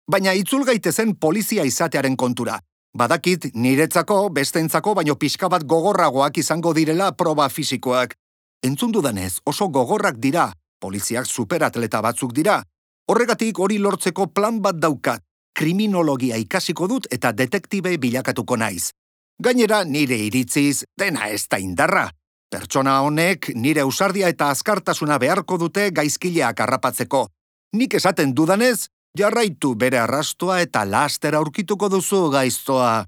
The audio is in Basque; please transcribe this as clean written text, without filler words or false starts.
Baina itzul gaitezen polizia izatearen kontura. Badakit niretzako, besteentzako, baino pixka bat gogorragoak izango direla proba fisikoak. Entzun dudanez, oso gogorrak dira, poliziak superatleta batzuk dira. Horregatik hori lortzeko plan bat daukat. Kriminologia ikasiko dut eta detektibe bilakatuko naiz. Gainera, nire iritziz, dena ez da indarra. Pertsona honek nire ausardia eta azkartasuna beharko dute gaizkileak harrapatzeko. Nik esaten dudanez, jarraitu bere arrastoa eta laster aurkituko duzu gaiztoa.